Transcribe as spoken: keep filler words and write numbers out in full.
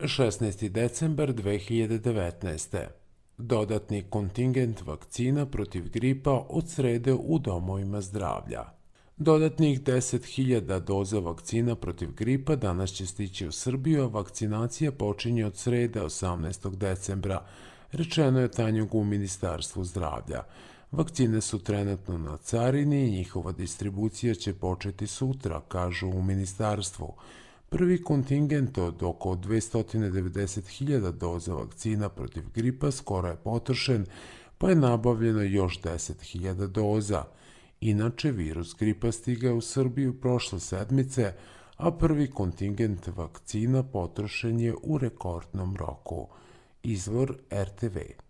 šesnaesti decembar dve hiljade devetnaeste. Dodatni kontingent vakcina protiv gripa od srede u domovima zdravlja. Dodatnih deset hiljada doza vakcina protiv gripa danas će stići u Srbiju, a vakcinacija počinje od srede osamnaestog decembra, rečeno je Tanjugu u Ministarstvu zdravlja. Vakcine su trenutno na carini i njihova distribucija će početi sutra, kažu u Ministarstvu. Prvi kontingent od oko dvesta devedeset hiljada doza vakcina protiv gripa skoro je potrošen, pa je nabavljeno još deset hiljada doza. Inače, virus gripa stigao u Srbiju prošle sedmice, a prvi kontingent vakcina potrošen je u rekordnom roku. Izvor er te ve.